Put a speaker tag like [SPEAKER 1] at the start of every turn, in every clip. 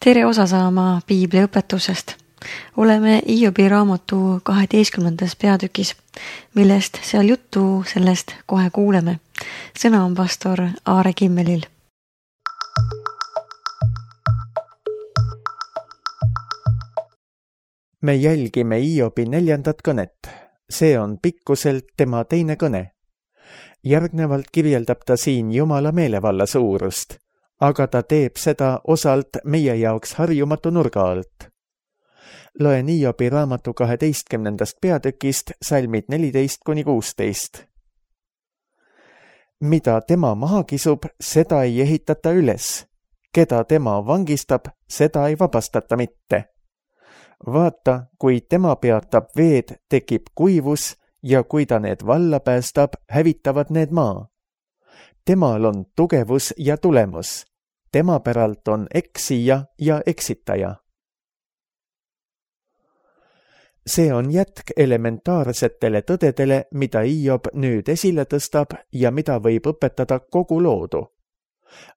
[SPEAKER 1] Tere osa saama Piibli õpetusest. Oleme Hiobi raamatu 12. peatükis, millest seal juttu sellest kohe kuuleme. Sõna on pastor Aare Kimmelil.
[SPEAKER 2] Me jälgime Hiobi 4. kõnet. See on pikkuselt tema teine kõne. Järgnevalt kirjeldab ta siin Jumala meelevalla suurust, aga ta teeb seda osalt meie jaoks harjumatu nurga alt. Loen Hiobi raamatu 12. peatükist salmid 14-16. Mida tema maha kisub, seda ei ehitata üles. Keda tema vangistab, seda ei vabastata mitte. Vaata, kui tema peatab veed, tekib kuivus ja kui ta need valla päästab, hävitavad need maa. Temal on tugevus ja tulemus. Tema päralt on eksija ja eksitaja. See on jätk elementaarsetele tõdedele, mida Hiob nüüd esile tõstab ja mida võib õpetada kogu loodu.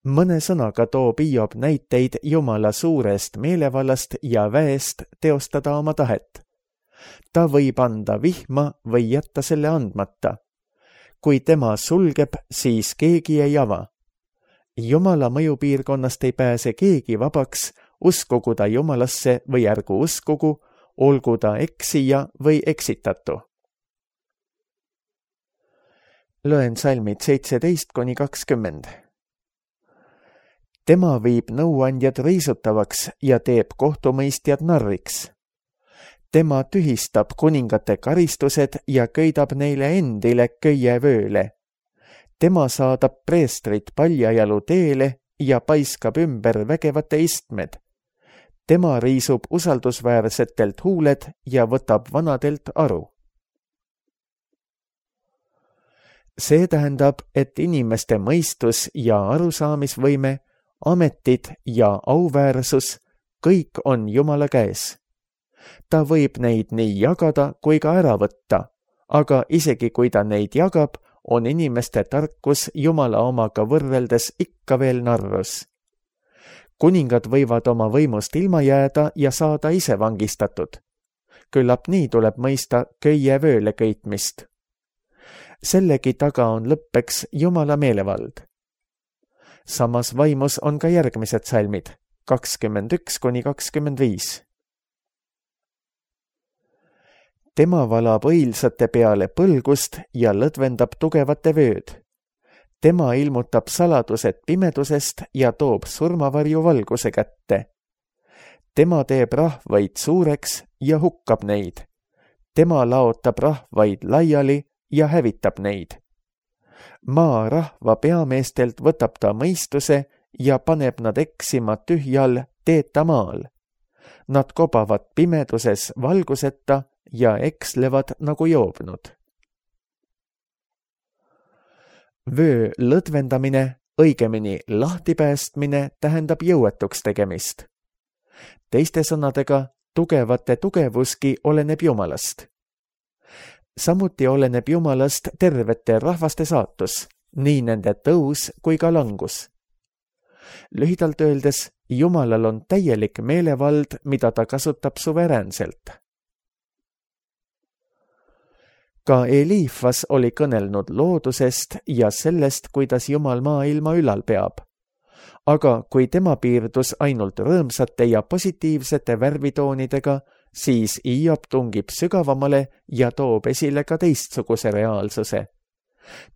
[SPEAKER 2] Mõne sõnaga toob Hiob näiteid Jumala suurest meelevallast ja väest teostada oma tahet. Ta võib anda vihma või jätta selle andmata. Kui tema sulgeb, siis keegi ei ava. Jumala mõjupiirkonnast ei pääse keegi vabaks, uskugu ta Jumalasse või ärgu uskugu, olgu ta eksija või eksitatu. Loen salmid 17-20. Tema viib nõuandjad riisutavaks ja teeb kohtumõistjad narriks. Tema tühistab kuningate karistused ja köidab neile endile köievööle. Tema saadab preestrit paljajalu teele ja paiskab ümber vägevate istmed. Tema riisub usaldusväärsetelt huuled ja võtab vanadelt aru. See tähendab, et inimeste mõistus ja arusaamisvõime, ametid ja auväärsus, kõik on Jumala käes. Ta võib neid nii jagada kui ka ära võtta, aga isegi kui ta neid jagab, on inimeste tarkus Jumala omaga võrreldes ikka veel narrus. Kuningad võivad oma võimust ilma jääda ja saada ise vangistatud. Küllap nii tuleb mõista köievööle köitmist. Sellegi taga on lõppeks Jumala meelevald. Samas vaimus on ka järgmised salmid, 21-25. Tema valab õilsate peale põlgust ja lõdvendab tugevate vööd. Tema ilmutab saladused pimedusest ja toob surmavarju valguse kätte. Tema teeb rahvaid suureks ja hukkab neid. Tema laotab rahvaid laiali ja hävitab neid. Maa rahva peameestelt võtab ta mõistuse ja paneb nad eksima tühjal teeta maal. Nad kobavad pimeduses valguseta ja ekslevad nagu joobnud. Vöö lõdvendamine, õigemini lahtipäästmine tähendab jõuetuks tegemist. Teiste sõnadega, tugevate tugevuski oleneb Jumalast. Samuti oleneb Jumalast tervete rahvaste saatus, nii nende tõus kui ka langus. Lühidalt öeldes, Jumalal on täielik meelevald, mida ta kasutab suveräänselt. Ka Eliifas oli kõnelnud loodusest ja sellest, kuidas Jumal maailma ülal peab. Aga kui tema piirdus ainult rõõmsate ja positiivsete värvitoonidega, siis Hiob tungib sügavamale ja toob esile ka teistsuguse reaalsuse.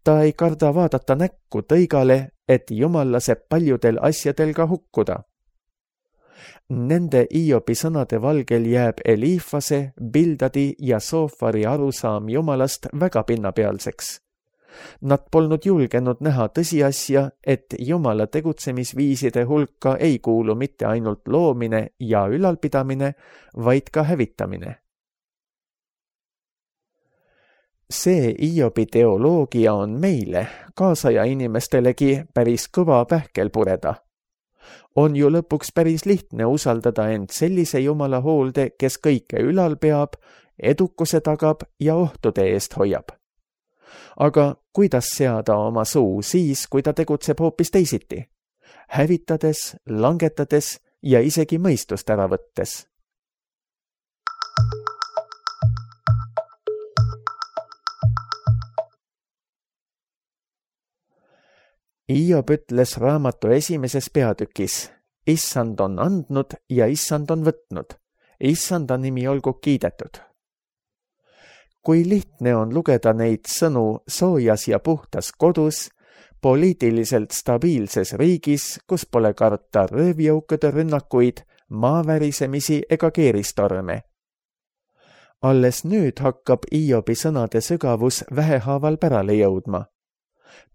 [SPEAKER 2] Ta ei karda vaadata näkku tõigale, et Jumal laseb paljudel asjadel ka hukkuda. Nende Hiobi sõnade valgel jääb Eliifase, Bildadi ja Soofari arusaam Jumalast väga pinnapealseks. Nad polnud julgenud näha tõsiasja, et Jumala tegutsemisviiside hulka ei kuulu mitte ainult loomine ja ülalpidamine, vaid ka hävitamine. See Hiobi teoloogia on meile, kaasaja inimestelegi, päris kõva pähkel pureda. On ju lõpuks päris lihtne usaldada end sellise Jumala hoolde, kes kõike ülal peab, edukuse tagab ja ohtude eest hoiab. Aga kuidas seada oma suu siis, kui ta tegutseb hoopis teisiti? Hävitades, langetades ja isegi mõistust ära võttes. Hiob ütles raamatu esimeses peatükis: Issand on andnud ja Issand on võtnud. Issanda nimi olgu kiidetud. Kui lihtne on lugeda neid sõnu soojas ja puhtas kodus, poliitiliselt stabiilses riigis, kus pole karta röövjõukude rünnakuid, maavärisemisi ega keeristorme. Alles nüüd hakkab Hiobi sõnade sügavus vähehaaval pärale jõudma.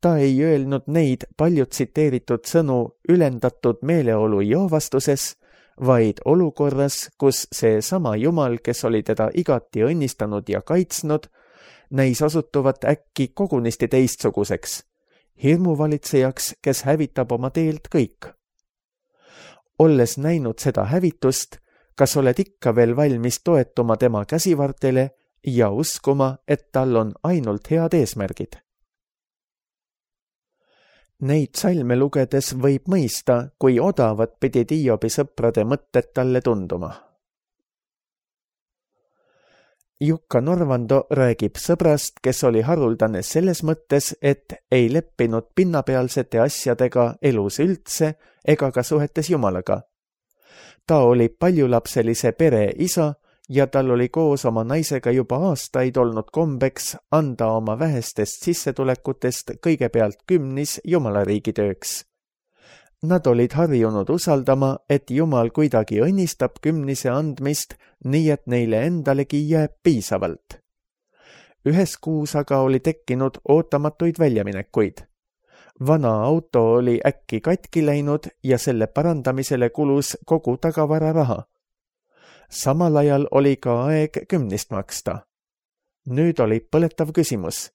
[SPEAKER 2] Ta ei öelnud neid palju tsiteeritud sõnu ülendatud meeleolu joovastuses, vaid olukorras, kus see sama Jumal, kes oli teda igati õnnistanud ja kaitsnud, näis osutuvat äkki kogunisti teistsuguseks, hirmuvalitsejaks, kes hävitab oma teelt kõik. Olles näinud seda hävitust, kas oled ikka veel valmis toetuma tema käsivartele ja uskuma, et tal on ainult head eesmärgid? Neid salme lugedes võib mõista, kui odavad pidid Hiobi sõprade mõtted talle tunduma. Jukka Norvando räägib sõbrast, kes oli haruldane selles mõttes, et ei leppinud pinnapealsete asjadega elus üldse ega ka suhetes Jumalaga. Ta oli paljulapselise pere isa ja tal oli koos oma naisega juba aastaid olnud kombeks anda oma vähestest sissetulekutest kõigepealt 10 Jumalariigi tööks. Nad olid harjunud usaldama, et Jumal kuidagi õnnistab 10 andmist, nii et neile endalegi jääb piisavalt. Ühes kuus aga oli tekkinud ootamatuid väljaminekuid. Vana auto oli äkki katki läinud ja selle parandamisele kulus kogu tagavararaha. Samal ajal oli ka aeg 10 maksta. Nüüd oli põletav küsimus,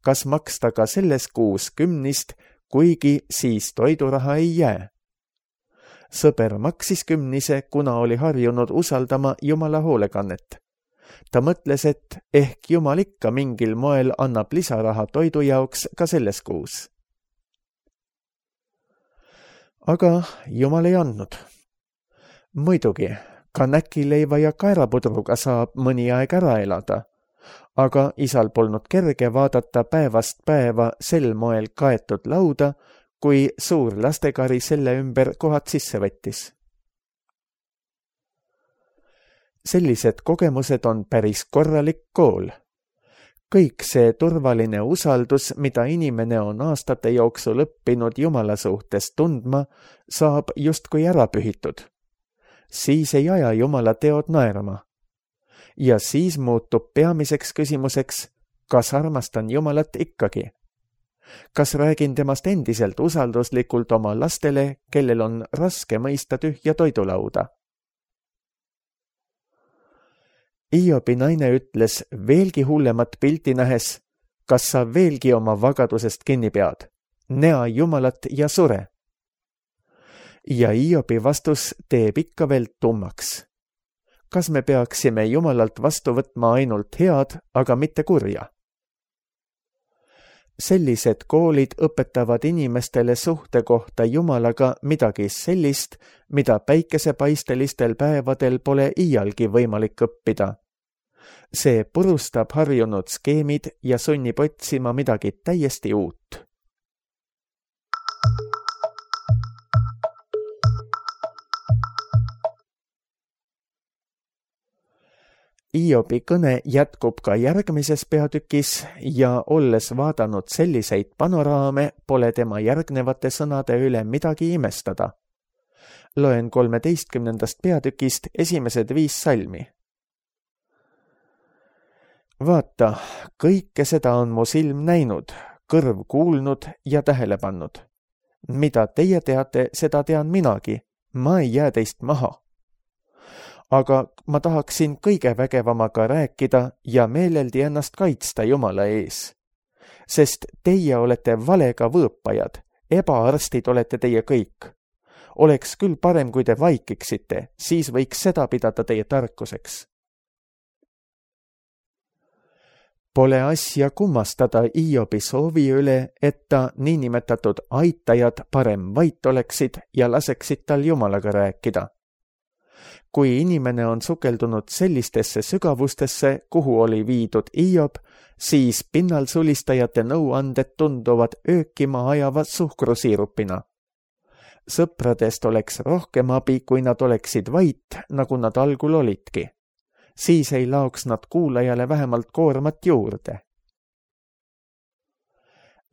[SPEAKER 2] kas maksta ka selles kuus 10, kuigi siis toiduraha ei jää. Sõber maksis 10, kuna oli harjunud usaldama Jumala hoolekannet. Ta mõtles, et ehk Jumal ikka mingil moel annab lisaraha toidu jaoks ka selles kuus. Aga Jumal ei andnud. Muidugi, ka näkileiva ja kaerapudruga saab mõni aeg ära elada, aga isal polnud kerge vaadata päevast päeva sel moel kaetud lauda, kui suur lastekari selle ümber kohad sisse võttis. Sellised kogemused on päris korralik kool. Kõik see turvaline usaldus, mida inimene on aastate jooksul õppinud Jumala suhtes tundma, saab justkui ära pühitud. Siis ei aja Jumala teod naerama. Ja siis muutub peamiseks küsimuseks, kas armastan Jumalat ikkagi? Kas räägin temast endiselt usalduslikult oma lastele, kellel on raske mõista tühja toidulauda? Hiobi naine ütles veelgi hullemat pilti nähes, kas sa veelgi oma vagadusest kinni pead? Näa Jumalat ja sure. Ja Hiobi vastus teeb ikka veel tummaks. Kas me peaksime Jumalalt vastu võtma ainult head, aga mitte kurja? Sellised koolid õpetavad inimestele suhte kohta Jumalaga midagi sellist, mida päikesepaistelistel päevadel pole iialgi võimalik õppida. See purustab harjunud skeemid ja sunnib otsima midagi täiesti uut. Hiobi kõne jätkub ka järgmises peatükis ja olles vaadanud selliseid panoraame, pole tema järgnevate sõnade üle midagi imestada. Loen 13. peatükist esimesed 5 salmi. Vaata, kõike seda on mu silm näinud, kõrv kuulnud ja tähele pannud. Mida teie teate, seda tean minagi, ma ei jää teist maha. Aga ma tahaksin kõige vägevamaga rääkida ja meeleldi ennast kaitsta Jumala ees. Sest teie olete valega võõpajad, ebaarstid olete teie kõik. Oleks küll parem, kui te vaikiksite, siis võiks seda pidada teie tarkuseks. Pole asja kummastada Hiobi soovi üle, et ta niinimetatud aitajad parem vait oleksid ja laseksid tal Jumalaga rääkida. Kui inimene on sukeldunud sellistesse sügavustesse, kuhu oli viidud Hiob, siis pinnalsulistajate nõuanded tunduvad öökima ajava suhkrusiirupina. Sõpradest oleks rohkem abi, kui nad oleksid vait, nagu nad algul olidki. Siis ei laoks nad kuulajale vähemalt koormat juurde.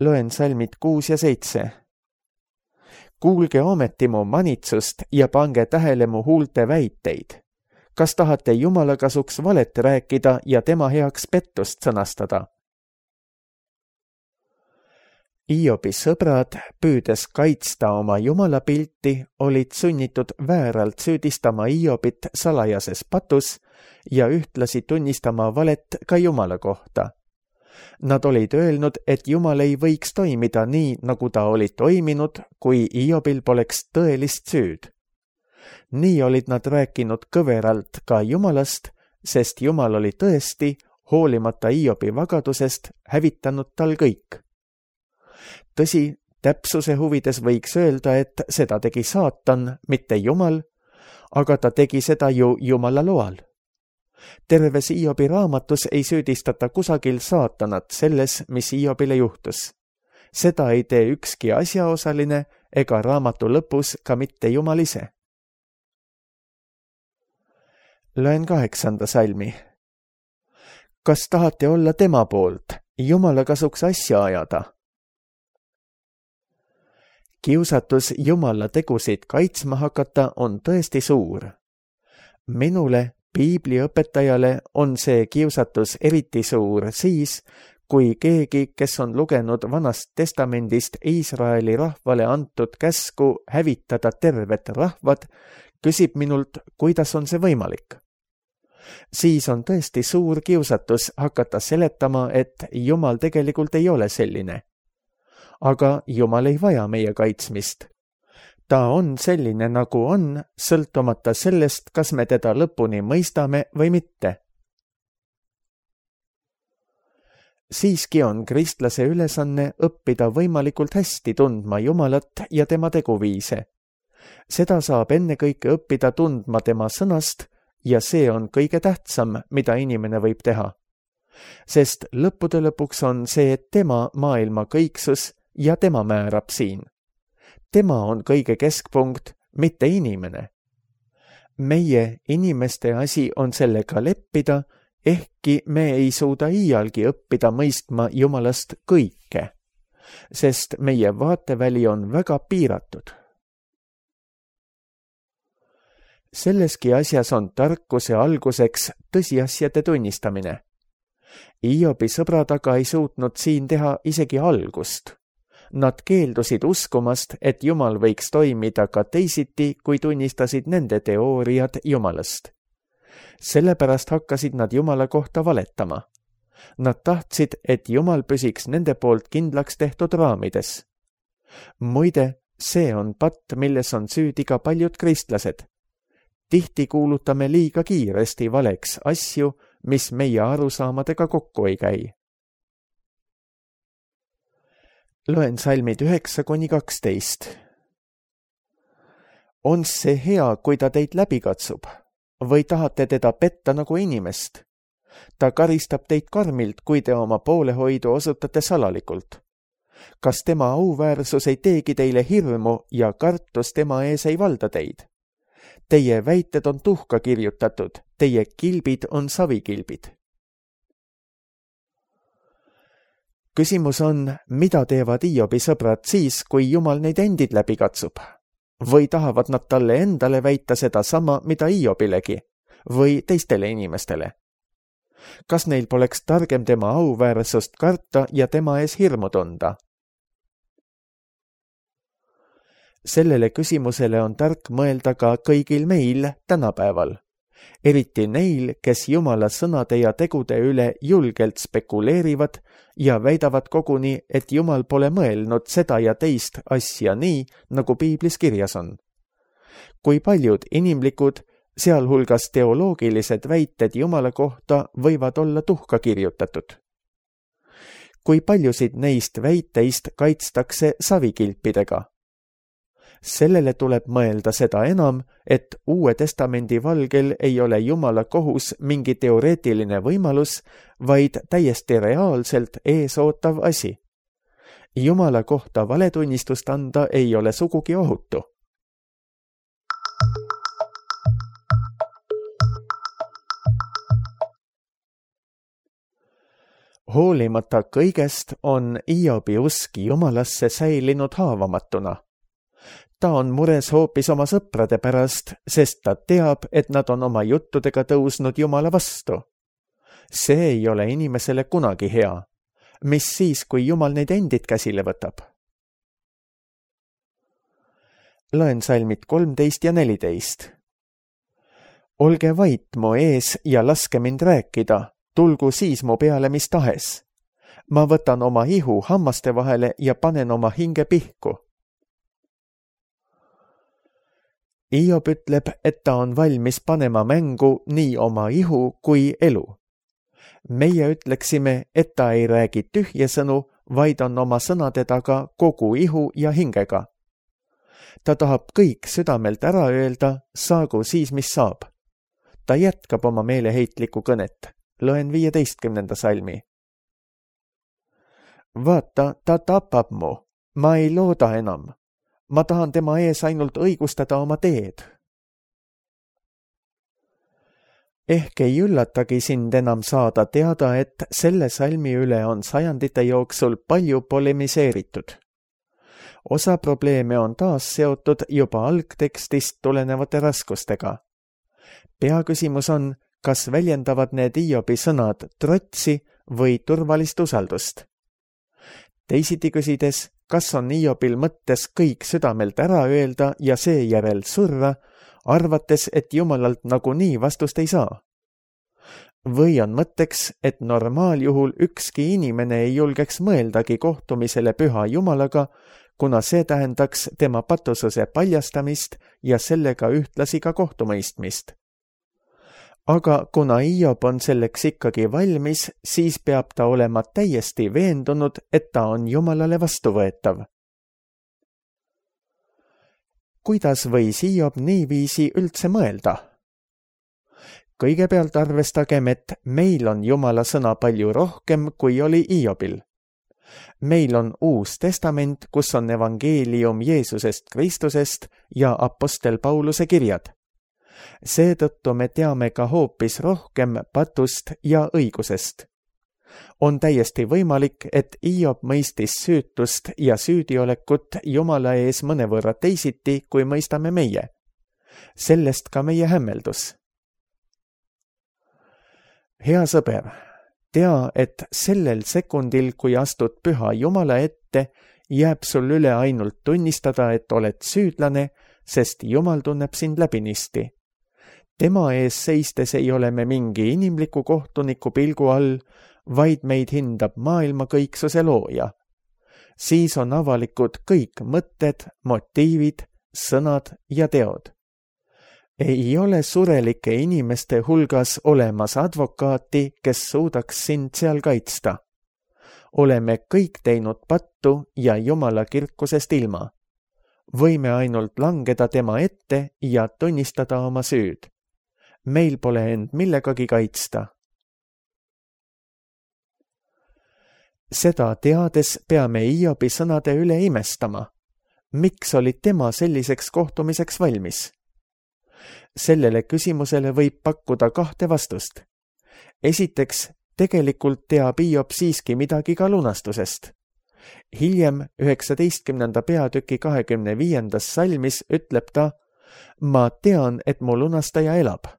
[SPEAKER 2] Loen salmid 6 ja 7. Kuulge ometi mu manitsust ja pange tähele mu huulte väiteid. Kas tahate Jumala kasuks valet rääkida ja tema heaks pettust sõnastada? Hiobi sõbrad, püüdes kaitsta oma Jumala pilti, olid sunnitud vääralt süüdistama Hiobit salajases patus ja ühtlasi tunnistama valet ka Jumala kohta. Nad olid öelnud, et Jumal ei võiks toimida nii, nagu ta oli toiminud, kui Hiobil poleks tõelist süüd. Nii olid nad rääkinud kõveralt ka Jumalast, sest Jumal oli tõesti, hoolimata Hiobi vagadusest, hävitanud tal kõik. Tõsi, täpsuse huvides võiks öelda, et seda tegi saatan, mitte Jumal, aga ta tegi seda ju Jumala loal. Terves Hiobi raamatus ei süüdistata kusagil saatanat selles, mis Hiobile juhtus. Seda ei tee ükski asjaosaline ega raamatu lõpus ka mitte Jumal ise. Loen 8. salmi. Kas tahate olla tema poolt, Jumala kasuks asja ajada? Kiusatus Jumala tegusid kaitsma hakata on tõesti suur. Minule, piibliõpetajale, on see kiusatus eriti suur siis, kui keegi, kes on lugenud Vanast Testamendist Iisraeli rahvale antud käsku hävitada tervet rahvad, küsib minult, kuidas on see võimalik. Siis on tõesti suur kiusatus hakata seletama, et Jumal tegelikult ei ole selline. Aga Jumal ei vaja meie kaitsmist. Ta on selline, nagu on, sõltumata sellest, kas me teda lõpuni mõistame või mitte. Siiski on kristlase ülesanne õppida võimalikult hästi tundma Jumalat ja tema teguviise. Seda saab ennekõike õppida tundma tema sõnast ja see on kõige tähtsam, mida inimene võib teha. Sest lõppude lõpuks on see tema maailma kõiksus ja tema määrab siin. Tema on kõige keskpunkt, mitte inimene. Meie inimeste asi on sellega leppida, ehkki me ei suuda iialgi õppida mõistma Jumalast kõike, sest meie vaateväli on väga piiratud. Selleski asjas on tarkuse alguseks tõsiasjade tunnistamine. Hiobi sõbrad aga ei suutnud siin teha isegi algust. Nad keeldusid uskumast, et Jumal võiks toimida ka teisiti, kui tunnistasid nende teooriad Jumalast. Sellepärast hakkasid nad Jumala kohta valetama. Nad tahtsid, et Jumal püsiks nende poolt kindlaks tehtud raamides. Muide, see on patt, milles on süüdi ka paljud kristlased. Tihti kuulutame liiga kiiresti valeks asju, mis meie arusaamadega kokku ei käi. Loen salmid 9-12. On see hea, kui ta teid läbi katsub? Või tahate teda petta nagu inimest? Ta karistab teid karmilt, kui te oma poolehoidu osutate salalikult. Kas tema auväärsus ei teegi teile hirmu ja kartus tema ees ei valda teid? Teie väited on tuhka kirjutatud, teie kilbid on savikilbid. Küsimus on, mida teevad Hiobi sõbrad siis, kui Jumal neid endid läbi katsub? Või tahavad nad talle endale väita seda sama, mida Hiobilegi? Või teistele inimestele? Kas neil poleks targem tema auväärsust karta ja tema ees hirmu tunda? Sellele küsimusele on tark mõelda ka kõigil meil tänapäeval. Eriti neil, kes Jumala sõnade ja tegude üle julgelt spekuleerivad ja väidavad koguni, et Jumal pole mõelnud seda ja teist asja nii, nagu piiblis kirjas on. Kui paljud inimlikud, sealhulgas teoloogilised väited Jumala kohta võivad olla tuhka kirjutatud. Kui paljusid neist väiteist kaitstakse savikilpidega. Sellele tuleb mõelda seda enam, et Uue Testamendi valgel ei ole Jumala kohus mingi teoreetiline võimalus, vaid täiesti reaalselt eesootav asi. Jumala kohta valetunnistust anda ei ole sugugi ohutu. Hoolimata kõigest on Hiobi usk Jumalasse säilinud haavamatuna. Ta on mures hoopis oma sõprade pärast, sest ta teab, et nad on oma juttudega tõusnud Jumala vastu. See ei ole inimesele kunagi hea. Mis siis, kui Jumal neid endid käsile võtab? Loen salmid 13 ja 14. Olge vait mu ees ja laske mind rääkida, tulgu siis mu peale mis tahes. Ma võtan oma ihu hammaste vahele ja panen oma hinge pihku. Hiob ütleb, et ta on valmis panema mängu nii oma ihu kui elu. Meie ütleksime, et ta ei räägi tühje sõnu, vaid on oma sõnade taga kogu ihu ja hingega. Ta tahab kõik südamelt ära öelda, saagu siis mis saab. Ta jätkab oma meeleheitlikku kõnet. Loen 15. salmi. Vaata, ta tapab mu. Ma ei looda enam. Ma tahan tema ees ainult õigustada oma teed. Ehk ei üllatagi sind enam saada teada, et selle salmi üle on sajandite jooksul palju polemiseeritud. Osa probleeme on taas seotud juba algtekstist tulenevate raskustega. Peaküsimus on, kas väljendavad need Hiobi sõnad trotsi või turvalist usaldust. Teisiti küsides, kas on Hiobil mõttes kõik südamelt ära öelda ja seejärel surra, arvates, et Jumalalt nagunii vastust ei saa? Või on mõtteks, et normaaljuhul ükski inimene ei julgeks mõeldagi kohtumisele püha Jumalaga, kuna see tähendaks tema patususe paljastamist ja sellega ühtlasi ka kohtumõistmist. Aga kuna Hiob on selleks ikkagi valmis, siis peab ta olema täiesti veendunud, et ta on Jumalale vastuvõetav. Kuidas võis Hiob niiviisi üldse mõelda? Kõigepealt arvestagem, et meil on Jumala sõna palju rohkem, kui oli Hiobil. Meil on Uus Testament, kus on evangeelium Jeesusest Kristusest ja apostel Pauluse kirjad. Seetõttu me teame ka hoopis rohkem patust ja õigusest. On täiesti võimalik, et Hiob mõistis süütust ja süüdiolekut Jumala ees mõnevõrra teisiti, kui mõistame meie. Sellest ka meie hämmeldus. Hea sõber, tea, et sellel sekundil, kui astud püha Jumala ette, jääb sul üle ainult tunnistada, et oled süüdlane, sest Jumal tunneb sind läbinisti. Tema ees seistes ei ole me mingi inimliku kohtuniku pilgu all, vaid meid hindab maailma kõiksuse looja. Siis on avalikud kõik mõtted, motiivid, sõnad ja teod. Ei ole surelike inimeste hulgas olemas advokaati, kes suudaks sind seal kaitsta. Oleme kõik teinud pattu ja Jumala kirkusest ilma. Võime ainult langeda tema ette ja tunnistada oma süüd. Meil pole end millegagi kaitsta. Seda teades peame Hiobi sõnade üle imestama. Miks oli tema selliseks kohtumiseks valmis? Sellele küsimusele võib pakkuda kahte vastust. Esiteks, tegelikult teab Hiob siiski midagi ka lunastusest. Hiljem 19. peatüki 25. salmis ütleb ta, ma tean, et mu lunastaja elab.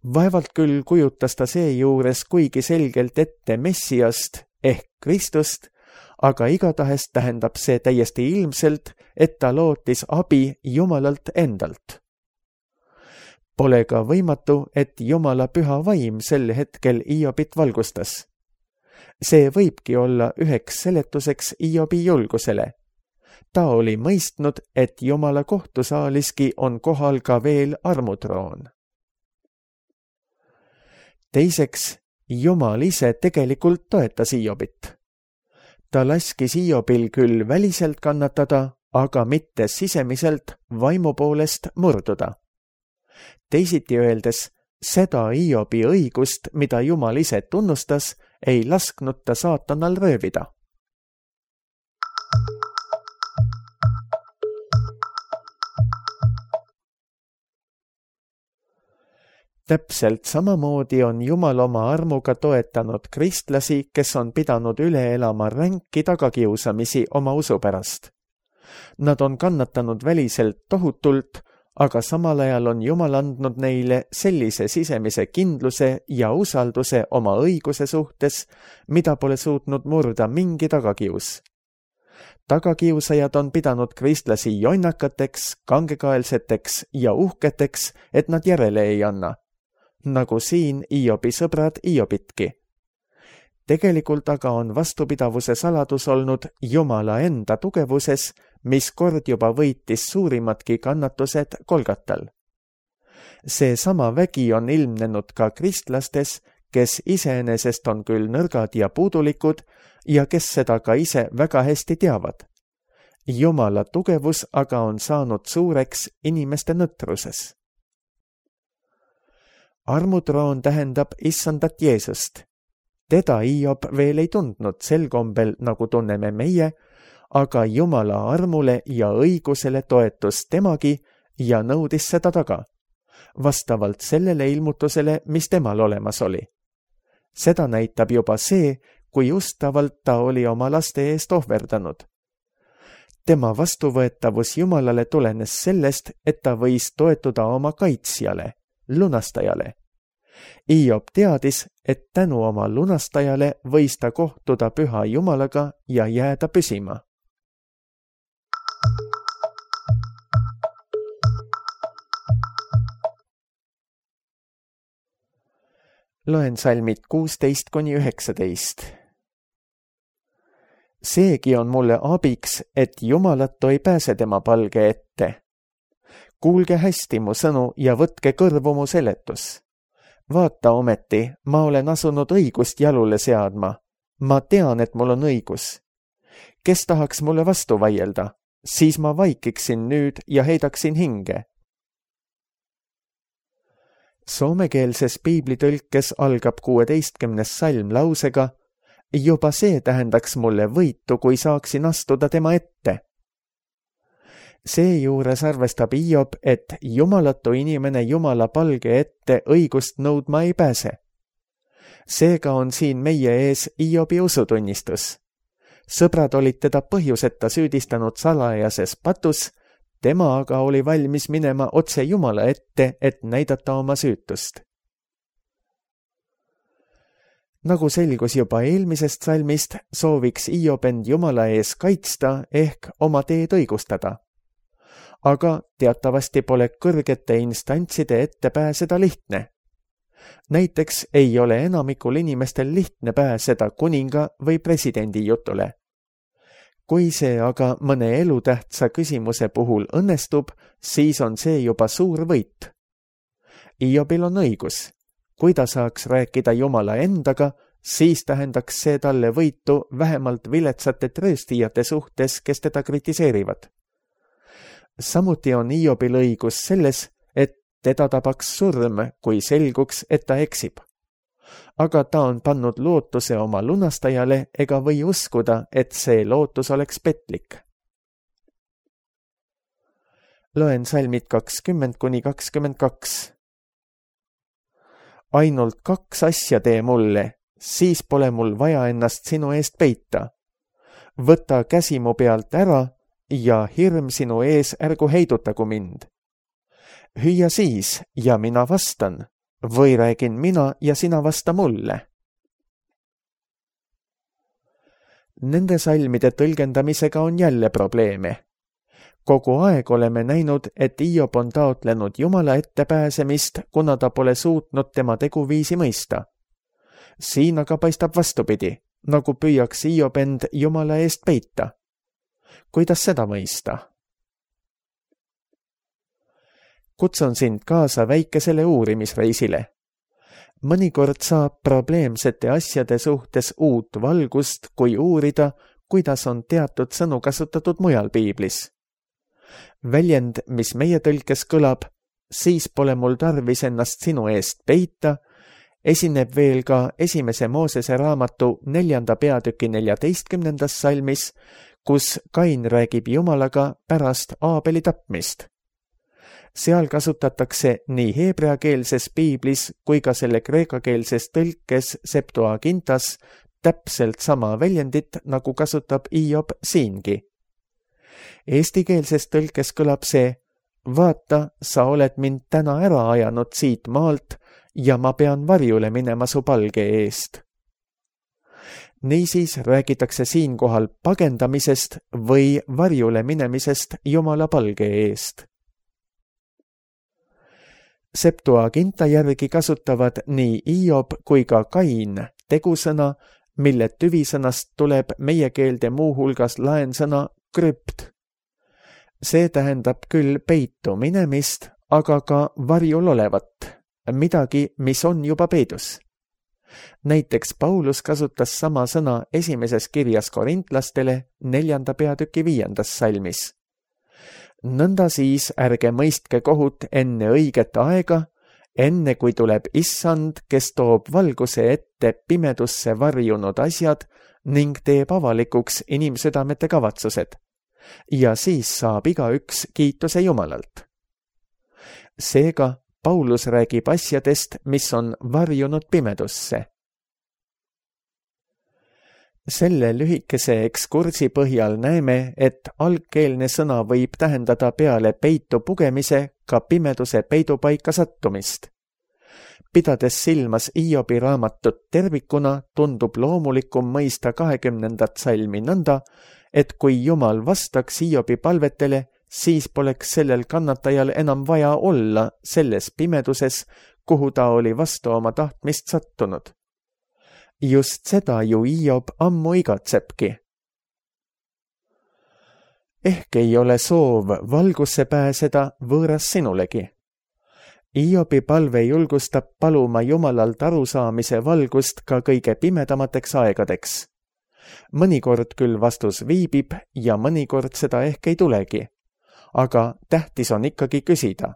[SPEAKER 2] Vaevalt küll kujutas ta seejuures kuigi selgelt ette Messiast ehk Kristust, aga igatahes tähendab see täiesti ilmselt, et ta lootis abi Jumalalt endalt. Pole ka võimatu, et Jumala püha vaim sel hetkel Hiobit valgustas. See võibki olla üheks seletuseks Hiobi julgusele. Ta oli mõistnud, et Jumala kohtusaaliski on kohal ka veel armutroon. Teiseks, Jumal ise tegelikult toetas Hiobit. Ta laskis Hiobil küll väliselt kannatada, aga mitte sisemiselt vaimu poolest murduda. Teisiti öeldes, seda Hiobi õigust, mida Jumal ise tunnustas, ei lasknud ta saatanal röövida. Täpselt samamoodi on Jumal oma armuga toetanud kristlasi, kes on pidanud üle elama ränki tagakiusamisi oma usu pärast. Nad on kannatanud väliselt tohutult, aga samal ajal on Jumal andnud neile sellise sisemise kindluse ja usalduse oma õiguse suhtes, mida pole suutnud murda mingi tagakius. Tagakiusajad on pidanud kristlasi jonnakateks, kangekaelseteks ja uhketeks, et nad järele ei anna. Nagu siin Hiobi sõbrad Hiobitki. Tegelikult aga on vastupidavuse saladus olnud Jumala enda tugevuses, mis kord juba võitis suurimadki kannatused Golgatal. Seesama vägi on ilmnenud ka kristlastes, kes iseenesest on küll nõrgad ja puudulikud ja kes seda ka ise väga hästi teavad. Jumala tugevus aga on saanud suureks inimeste nõtruses. Armutroon tähendab issandat Jeesust. Teda Hiob veel ei tundnud sel kombel, nagu tunneme meie, aga Jumala armule ja õigusele toetus temagi ja nõudis seda taga, vastavalt sellele ilmutusele, mis temal olemas oli. Seda näitab juba see, kui ustavalt ta oli oma laste eest ohverdanud. Tema vastuvõetavus Jumalale tulenes sellest, et ta võis toetuda oma kaitsjale, lunastajale. Hiob teadis, et tänu oma lunastajale võis ta kohtuda püha Jumalaga ja jääda püsima. Loen salmid 16-19. Seegi on mulle abiks, et Jumalatu ei pääse tema palge ette. Kuulge hästi mu sõnu ja võtke kõrvu mu seletus. Vaata ometi, ma olen asunud õigust jalule seadma. Ma tean, et mul on õigus. Kes tahaks mulle vastu vaielda, siis ma vaikiksin nüüd ja heidaksin hinge. Soomekeelses piiblitõlkes algab 16. salm lausega: juba see tähendaks mulle võitu, kui saaksin astuda tema ette. Seejuures arvestab Hiob, et jumalatu inimene Jumala palge ette õigust nõudma ei pääse. Seega on siin meie ees Hiobi usutunnistus. Sõbrad olid teda põhjuseta süüdistanud salajases patus, tema aga oli valmis minema otse Jumala ette, et näidata oma süütust. Nagu selgus juba eelmisest salmist, sooviks Hiob end Jumala ees kaitsta ehk oma teed õigustada. Aga teatavasti pole kõrgete instantside ette pääseda lihtne. Näiteks ei ole enamikul inimestel lihtne pääseda kuninga või presidendi jutule. Kui see aga mõne elutähtsa küsimuse puhul õnnestub, siis on see juba suur võit. Hiobil on õigus. Kui ta saaks rääkida Jumala endaga, siis tähendaks see talle võitu vähemalt viletsate trööstijate suhtes, kes teda kritiseerivad. Samuti on Hiobil õigus selles, et teda tabaks surm, kui selguks, et ta eksib. Aga ta on pannud lootuse oma lunastajale ega või uskuda, et see lootus oleks petlik. Loen salmid 20-22. Ainult 2 asja tee mulle, siis pole mul vaja ennast sinu eest peita. Võta käsi mu pealt ära ja hirm sinu ees ärgu heidutagu mind. Hüüa siis ja mina vastan, või räägin mina ja sina vasta mulle. Nende salmide tõlgendamisega on jälle probleeme. Kogu aeg oleme näinud, et Hiob on taotlenud Jumala ette pääsemist, kuna ta pole suutnud tema teguviisi mõista. Siin aga paistab vastupidi, nagu püüaks Hiob end Jumala eest peita. Kuidas seda mõista? Kutsun sind kaasa väikesele uurimisreisile. Mõnikord saab probleemsete asjade suhtes uut valgust, kui uurida, kuidas on teatud sõnu kasutatud mujal piiblis. Väljend, mis meie tõlkes kõlab, siis pole mul tarvis ennast sinu eest peita, esineb veel ka 1. Moosese raamatu 4. peatüki 14. salmis, kus Kain räägib Jumalaga pärast Aabeli tapmist. Seal kasutatakse nii heebreakeelses piiblis kui ka selle kreekakeelses tõlkes Septuagintas täpselt sama väljendit, nagu kasutab Hiob siingi. Eestikeelses tõlkes kõlab see: vaata, sa oled mind täna ära ajanud siit maalt ja ma pean varjule minema su palge eest. Niisiis räägitakse siinkohal pagendamisest või varjule minemisest Jumala palge eest. Septuaginta järgi kasutavad nii Hiob kui ka Kain tegusõna, mille tüvisõnast tuleb meie keelde muuhulgas laensõna krüpt. See tähendab küll peitu minemist, aga ka varjul olevat, midagi, mis on juba peidus. Näiteks Paulus kasutas sama sõna 1. kirjas korintlastele 4. peatüki 5. salmis. Nõnda siis ärge mõistke kohut enne õiget aega, enne kui tuleb Issand, kes toob valguse ette pimedusse varjunud asjad ning teeb avalikuks inimsüdamete kavatsused. Ja siis saab igaüks kiituse Jumalalt. Seega Paulus räägib asjadest, mis on varjunud pimedusse. Selle lühikese ekskursi põhjal näeme, et algkeelne sõna võib tähendada peale peitu pugemise ka pimeduse peidupaika sattumist. Pidades silmas Hiobi raamatut tervikuna, tundub loomulikum mõista 20. salmi nõnda, et kui Jumal vastaks Hiobi palvetele, siis poleks sellel kannatajal enam vaja olla selles pimeduses, kuhu ta oli vastu oma tahtmist sattunud. Just seda ju Hiob ammu igatsebki. Ehk ei ole soov valgusse pääseda võõras sinulegi. Hiobi palve julgustab paluma Jumalalt arusaamise valgust ka kõige pimedamateks aegadeks. Mõnikord küll vastus viibib ja mõnikord seda ehk ei tulegi. Aga tähtis on ikkagi küsida.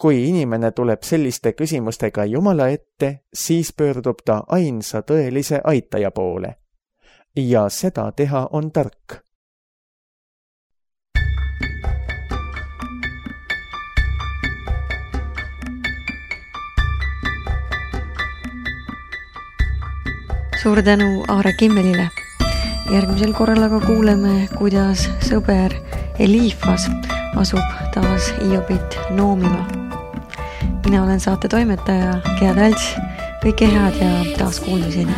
[SPEAKER 2] Kui inimene tuleb selliste küsimustega Jumala ette, siis pöördub ta ainsa tõelise aitaja poole. Ja seda teha on tark.
[SPEAKER 1] Suur tänu Aare Kimmelile. Järgmisel korral aga kuuleme, kuidas sõber Eliifas asub taas Hiobit noomima. Mina olen saate toimetaja Gea Talts. Kõike head ja taas kuulmiseni.